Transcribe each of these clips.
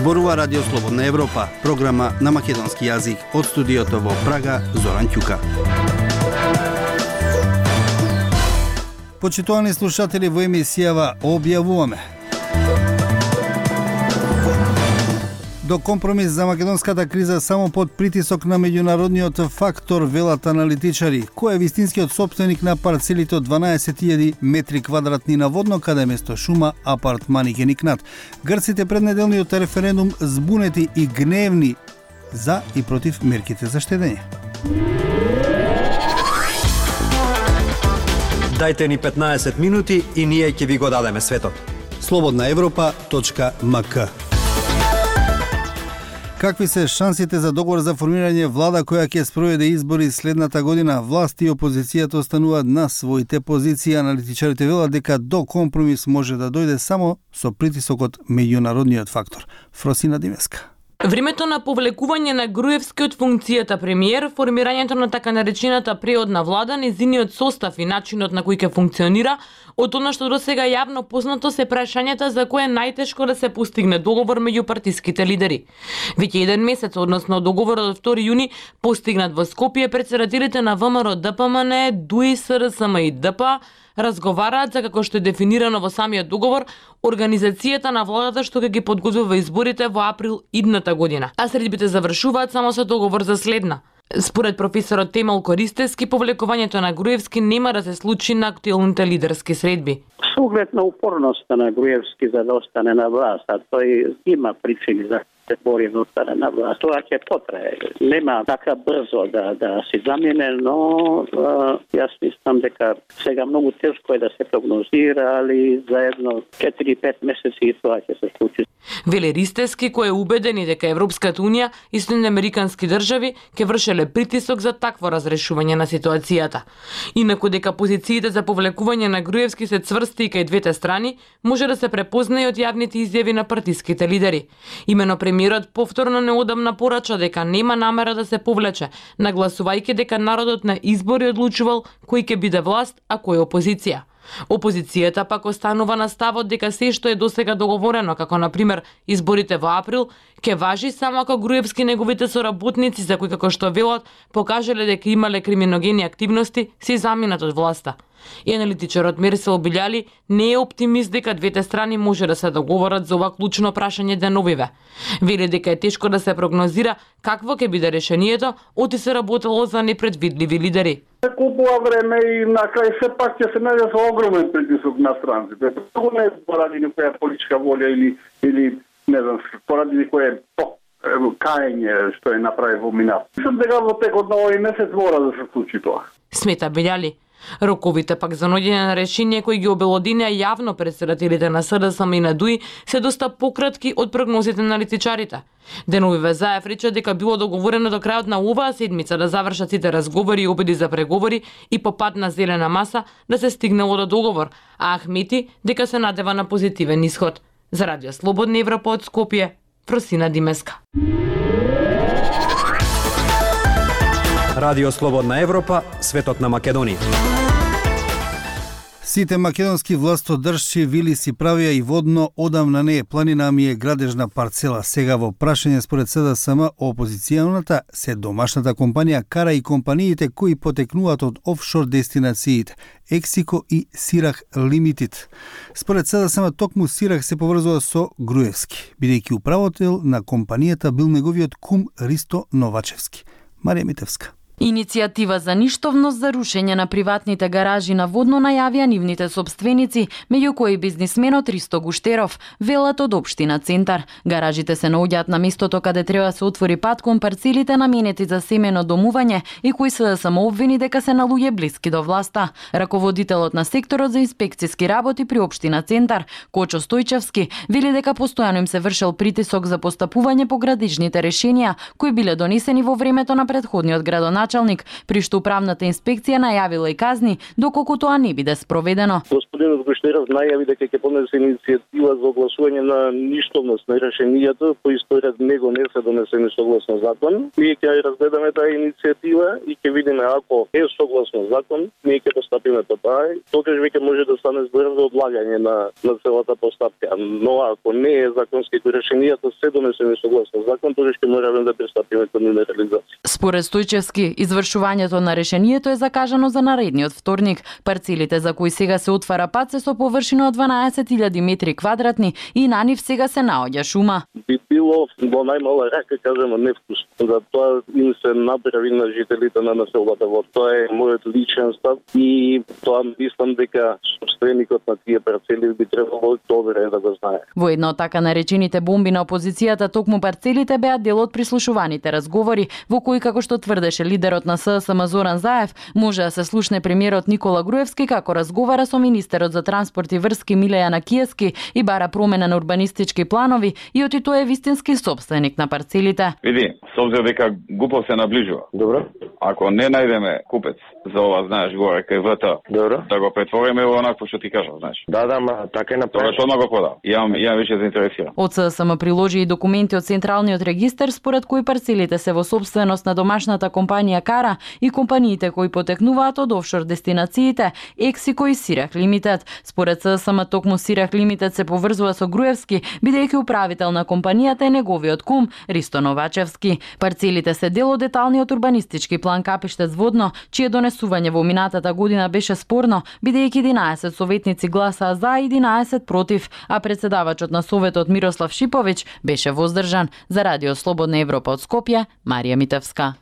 Зборува Радио Слободна Европа, програма на македонски јазик од студиото во Прага, Зоран Ќука. Почитувани слушатели, во емисијава објавуваме: до компромис за македонската криза само под притисок на меѓународниот фактор, велат аналитичари. Кој е вистинскиот сопственик на парцелите од 12.000 метри квадратни на Водно, каде место шума апартмани ќе никнат? Грците пред неделниот референдум збунети и гневни за и против мерките за штедење. Дајте ни 15 минути и ние ќе ви го дадеме светот. slobodnaevropa.mk. Какви се шансите за договор за формирање влада која ќе спроведе избори следната година? Власт и опозицијата остануваат на своите позиции. Аналитичарите велат дека до компромис може да дојде само со притисок од меѓународниот фактор. Фросина Димеска. Времето на повлекување на Груевски од функцијата премиер, формирањето на така наречената преодна влада, незиниот состав и начинот на кој ќе функционира, од она што досега јавно познато се прашањата за кој е најтешко да се постигне договор меѓу партиските лидери. Веќе еден месец, односно договорот од 2 јуни, постигнат во Скопје, претседателите на ВМРО, ДПМН, ДУИ, СРСМ и ДП разговараат за, како што е дефинирано во самиот договор, организацијата на владата што ќе ги подготвува изборите во април идната година. А средбите завршуваат само со договор за следна. Според професорот Темел Користевски, повлекувањето на Груевски нема да се случи на актуелните лидерски средби. Со оглед на упорноста на Груевски за да остане на власт, а тој има причини за се бори да остане на власт. Тоа ќе потрае. Нема така брзо да се замине, но јас мислам дека сега многу тешко е да се прогнозира, али за едно 4-5 месеци тоа ќе се случи. Вели Ристевски, кој е убеден и дека Европската унија и Соединените американски држави ќе вршеле притисок за такво разрешување на ситуацијата. Инаку дека позициите за повлекување на Груевски се цврсти и кај двете страни, може да се препознае од јавните изјави на партиските лидери. Имено премиерот повторно неодамна порача дека нема намера да се повлече, нагласувајќи дека народот на избори одлучувал кој ќе биде власт, а кој опозиција. Опозицијата пак останува на ставот дека се што е досега договорено, како на пример изборите во април, ќе важи само ако Груевски и неговите соработници, за кои како што велат, покажале дека имале криминогени активности, се заминат од власта. И аналитичарот Мерсел Билјали не е оптимист дека двете страни може да се договорат за ова клучно прашање деновиве. Вели дека е тешко да се прогнозира какво ќе биде решението, оти се работело за непредвидливи лидери. Купува време и на крај се пак ќе се најде со огромен притисок на странците. Тоа не е поради некоја политичка волја или не знам, поради некоја каење што е направи во минат. Мислам дека во текот на овој месец мора да се случи тоа. Смета Билјали. Роковите пак за наоѓање на решение кои ги обелодинеа јавно претседателите на СДСМ и на ДУИ се доста пократки од прогнозите на аналитичарите. Деновиве Заев рече дека било договорено до крајот на оваа седмица да завршат сите разговори и обиди за преговори и по пат на зелена маса да се стигнало до договор, а Ахмети дека се надева на позитивен исход. За Радио Слободна Европа од Скопје, Фросина Димеска. Радио Слободна Европа, светот на Македонија. Сите македонски властодржци вили си правија и Водно одамна не е планина, ми е градежна парцела. Сега во прашање според СДСМ опозиционата се домашната компанија кара и компаниите кои потекнуваат од офшор дестинациите Ексико и Сирах Лимитид. Според СДСМ токму Сирах се поврзува со Груевски, бидејќи управител на компанијата бил неговиот кум Ристо Новачевски. Марија Митевска. Иницијатива за ништовност за рушење на приватните гаражи на Водно најавија нивните собственици, меѓу кои бизнисменот Ристо Гуштеров, велат од општина Центар. Гаражите се наоѓаат на местото каде треба да се отвори пат кон парцелите наменети за семено домување и кои се да самообвини дека се на луѓе блиски до власта. Раководителот на секторот за инспекциски работи при општина Центар, Кочо Стојчевски, вели дека постојано им се вршел притисок за постапување по градичните решенија кои биле донесени во времето на претходниот градоначалник, при што управната инспекција најавила и казни доколку тоа не биде спроведено. Господинот Гуштеров најави дека ќе поднесе иницијатива за огласување на ништовност на решенијата, кои според него не се донесени согласно закон. Ние ќе ја разгледаме таа иницијатива и ќе видиме ако е согласно закон, ние ќе постапиме по тоа. Тогаш веќе може да стане збор за одлагање на целата постапка. Но ако не е законски решенијата се донесени согласно закон, тогаш ќе мораме да пристапиме кон реализација. Според Стојчевски, извршувањето на решението е закажано за наредниот вторник. Парцелите за кои сега се отвара пат се со површина од 12.000 метри квадратни и на нив сега се наоѓа шума. Би било во најмала рака, кажемо, невкусно. За тоа им се направи на жителите на населбата во. Тоа е мојот личен став и тоа мислам дека собственикот на тие парцели би требало добре да го знае. Во една од така наречените бомби на опозицијата, токму парцелите беа дел од прислушуваните разговори, во кои, како што тврдеше лидерот на ССМ Зоран Заев, може да се слушне премиерот Никола Груевски како разговара со министерот за транспорт и врски Милејана Киевски и бара промена на урбанистички планови и оти тој е вистински собственик на парцелите. Види, со обзир дека Гупов се наближува. Добро. Ако не најдеме купец за ова, знаеш, горе кај ВТ, добро, да го претвориме во онакво што ти кажав, знаеш. Да, ма така е направено. Тоа што го продав. Ја више заинтересиран. Од ССМ приложи и документи од Централниот регистар според кои парцелите се во собственост на домашната компанија Кара и компаниите кои потекнуваат од офшор дестинациите Ексико и Сирах Лимитед. Според ССМ токму Сирах Лимитед се поврзува со Груевски, бидејќи управител на компанијата е неговиот кум Ристо Новачевски. Парцелите се дел од деталниот урбанистички план Капиштец Водно, чие донесување во минатата година беше спорно, бидејќи 11 советници гласаа за и 11 против, а председавачот на Советот Мирослав Шиповиќ беше воздржан. За Радио Слободна Европа од Скопје, Марија Митевска.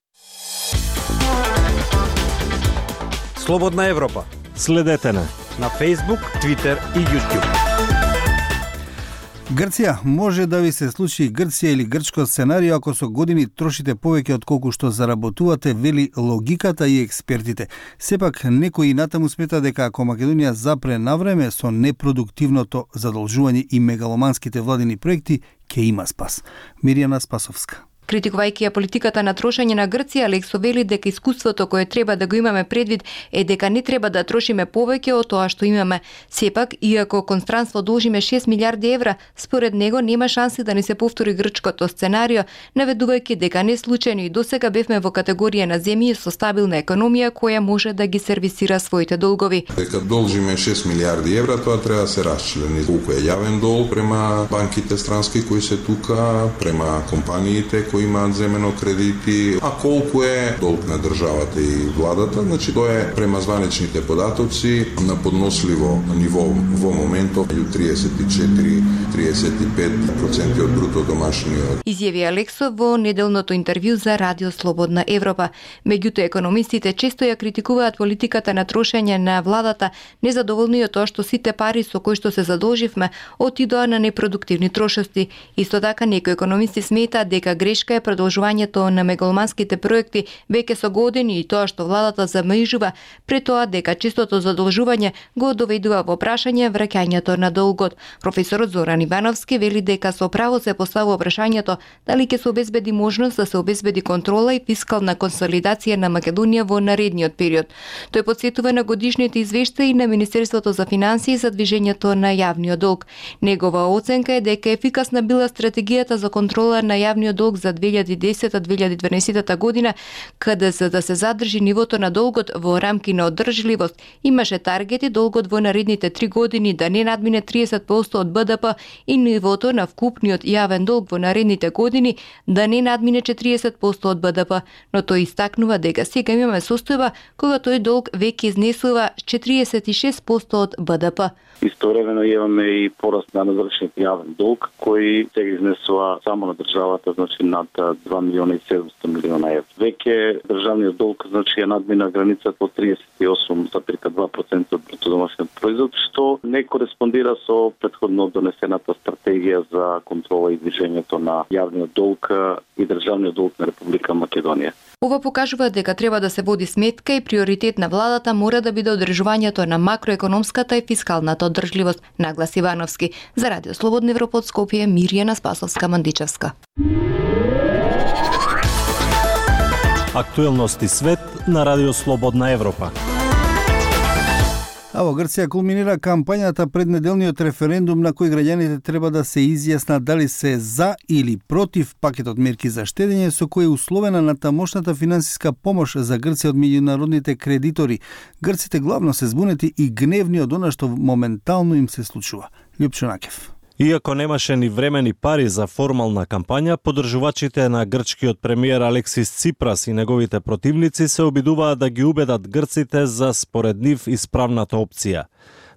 Слободна Европа. Следете на Facebook, Twitter и YouTube. Грција може да ви се случи Грција или грчко сценарио ако со години трошите повеќе од колку што заработувате, вели логиката и експертите. Сепак некои натаму смета дека ако Македонија запре навреме со непродуктивното задолжување и мегаломанските владини проекти, ќе има спас. Миријана Спасовска. Критикувајќи ја политиката на трошење на Грција, Алексо вели дека искуството кое треба да го имаме предвид е дека не треба да трошиме повеќе од тоа што имаме. Сепак, иако кон странство должиме 6 милиарди евра, според него нема шанси да ни се повтори грчкото сценарио, наведувајќи дека не случајно и досега бевме во категорија на земји со стабилна економија која може да ги сервисира своите долгови. Дека должиме 6 милиарди евра, тоа треба да се расчлени. Колку е јавен дол према банките странски кои се тука, према компаниите кои имаат земено кредити, а колку е долг на државата и владата, значи тоа е према званичните податоци на подносливо ниво во моментов меѓу 34-35% од бруто домашниот. Изјави Алексо во неделното интервју за Радио Слободна Европа. Меѓутоа економистите често ја критикуваат политиката на трошење на владата, незадоволни од тоа што сите пари со кои што се задолживме отидоа на непродуктивни трошости. Исто така некои економисти сметаат дека грешка е продолжувањето на мегаломанските проекти веќе со години и тоа што владата замежува, пред тоа дека чистото задолжување го доведува во прашање враќањето на долгот. Професорот Зоран Ивановски вели дека со право се поставува прашањето дали ќе се обезбеди можност да се обезбеди контрола и фискална консолидација на Македонија во наредниот период. Тој потсетува на годишните извештаи на Министерството за финансии за движењето на јавниот долг. Негова оценка е дека ефикасна била стратегијата за контрола на јавниот долг за 2010-2012 година, каде за да се задржи нивото на долгот во рамки на одржливост, имаше таргети долгот во наредните 3 години да не надмине 30% од БДП и нивото на вкупниот јавен долг во наредните години да не надмине 40% од БДП, но тој истакнува дека сега имаме состојба кога тој долг веќе изнесува 46% од БДП. Истовремено имаме и пораст на завршениот јавен долг кој сега изнесува само на државата, значи над 2 милиона и 700 милиона евра. Веќе државниот долг значи е надмина границата од 38,2% од бруто домашниот производ, што не кореспондира со претходно донесената стратегија за контрола и движењето на јавниот долг и државниот долг на Република Македонија. Ова покажува дека треба да се води сметка и приоритет на владата мора да биде одржувањето на макроекономската и фискалната одржливост, нагласи Ивановски. За Радио Слободна Европа од Скопје, Миријана Спасовска-Мандичевска. Актуелности свет на Радио Слободна Европа. А во Грција кулминира кампањата пред неделниот референдум на кој граѓаните треба да се изјаснат дали се за или против пакетот мерки за штедење со кој е условена на тамошната финансиска помош за Грција од меѓународните кредитори. Грците главно се збунети и гневни од она што моментално им се случува. Лјупчо Накев. Иако немаше ни време ни пари за формална кампања, поддржувачите на грчкиот премиер Алексис Ципрас и неговите противници се обидуваат да ги убедат грците за според нив исправната опција.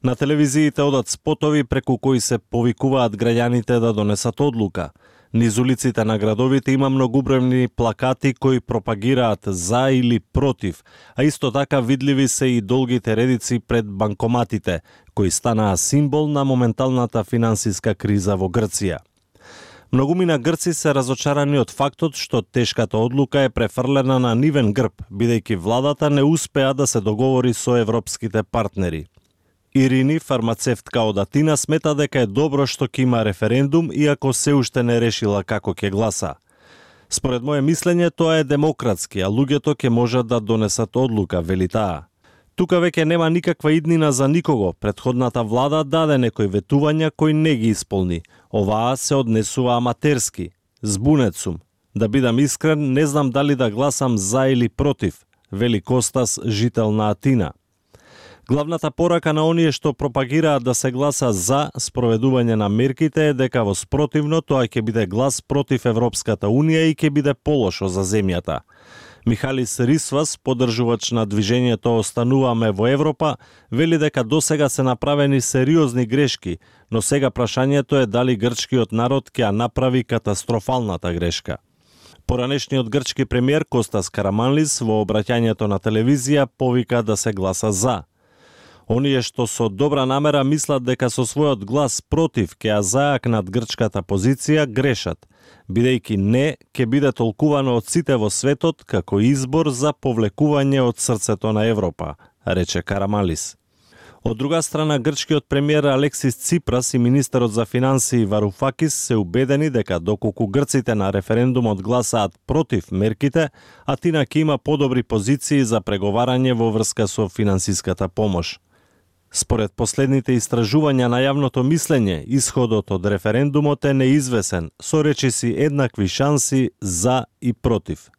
На телевизиите одат спотови преку кои се повикуваат граѓаните да донесат одлука. Низ улиците на градовите има многубројни плакати кои пропагираат за или против, а исто така видливи се и долгите редици пред банкоматите, кои станаа символ на моменталната финансиска криза во Грција. Многумина грци се разочарани од фактот што тешката одлука е префрлена на нивен грб, бидејќи владата не успеа да се договори со европските партнери. Ирини, фармацевтка од Атина, смета дека е добро што ќе има референдум, иако се уште не решила како ќе гласа. Според моje мислење, тоа е демократски, а луѓето ќе можат да донесат одлука, вели таа. Тука веќе нема никаква иднина за никого. Претходната влада даде некои ветувања кои не ги исполни. Оваа се однесува аматерски. Збунет сум. Да бидам искрен, не знам дали да гласам за или против, вели Костас, жител на Атина. Главната порака на оние што пропагираат да се гласа за спроведување на мерките е дека во спротивно тоа ќе биде глас против Европската Унија и ќе биде полошо за земјата. Михалис Рисвас, поддржувач на движењето Остануваме во Европа, вели дека досега се направени сериозни грешки, но сега прашањето е дали грчкиот народ ќе ја направи катастрофалната грешка. Поранешниот грчки премиер Костас Караманлис во обраќањето на телевизија повика да се гласа за. Оние што со добра намера мислат дека со својот глас против ќе ја зајакнат грчката позиција грешат, бидејќи не ќе биде толкувано од сите во светот како избор за повлекување од срцето на Европа, рече Карамалис. Од друга страна, грчкиот премиер Алексис Ципрас и министерот за финансии Варуфакис се убедени дека доколку грците на референдумот гласаат против мерките, Атина ќе има подобри позиции за преговарање во врска со финансиската помош. Според последните истражувања на јавното мислење, исходот од референдумот е неизвесен, со речиси еднакви шанси за и против.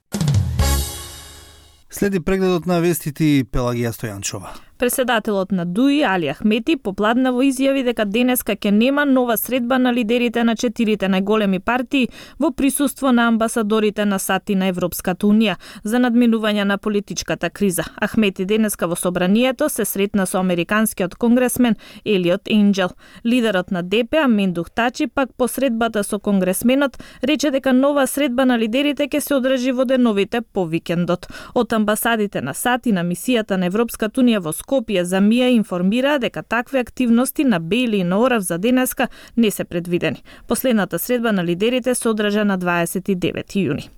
Следи прегледот на вестите Пелагија Стојанчова. Председателот на ДУИ, Али Ахмети, попладнево изјави дека денеска ќе нема нова средба на лидерите на 4 најголеми партии во присуство на амбасадорите на САД и на Европската Унија за надминување на политичката криза. Ахмети денеска во собранието се сретна со американскиот конгресмен Елиот Енџел. Лидерот на ДП, Мендух Тачи, пак по средбата со конгресменот, рече дека нова средба на лидерите ќе се одржи во деновите по викендот. Од амбасадите на САД и на мисијата на Европската Унија во Скопје за МИА информира дека такви активности на Бейли и на Орав за денеска не се предвидени. Последната средба на лидерите се одржа на 29 јуни.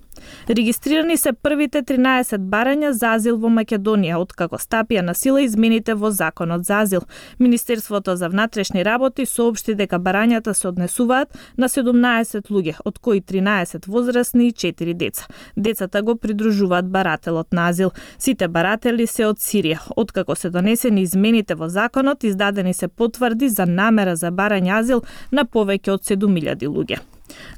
Регистрирани се првите 13 барања за азил во Македонија, откако стапија на сила измените во Законот за азил. Министерството за внатрешни работи соопшти дека барањата се однесуваат на 17 луѓе, од кои 13 возрастни и 4 деца. Децата го придружуваат барателот на азил. Сите баратели се од Сирија. Откако се донесени измените во законот, издадени се потврди за намера за барање азил на повеќе од 7000 луѓе.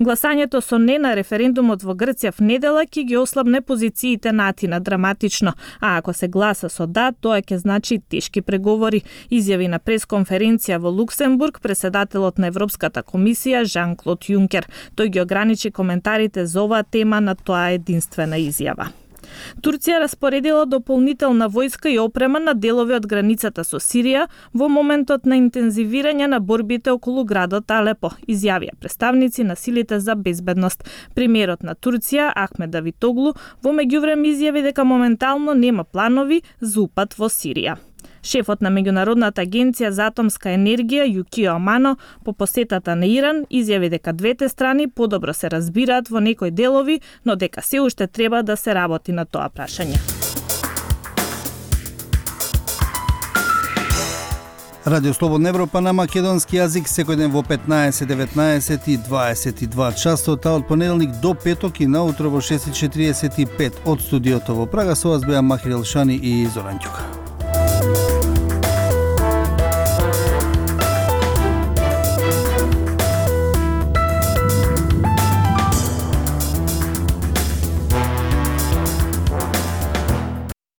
Гласањето со не на референдумот во Грција в недела ќе ги ослабне позициите на Атина драматично, а ако се гласа со да, тоа ќе значи тешки преговори, изјави на пресконференција во Луксембург председателот на Европската комисија Жан-Клод Јункер. Тој ги ограничи коментарите за оваа тема на тоа единствена изјава. Турција распоредила дополнителна војска и опрема на делови од границата со Сирија во моментот на интензивирање на борбите околу градот Алепо, изјавија представници на силите за безбедност. Премиерот на Турција Ахмед Давитоглу во меѓувреме изјави дека моментално нема планови за упат во Сирија. Шефот на Меѓународната агенција за атомска енергија Јукио Амано по посетата на Иран изјави дека двете страни подобро се разбираат во некои делови, но дека се уште треба да се работи на тоа прашање. Радио Слободна Европа на македонски јазик секој ден во 15, 19 и 22 часот, од понеделник до петок и наутро во 6:45 од студиото во Прага. Со вас беа Махир Елшани и Зоран Ѓука.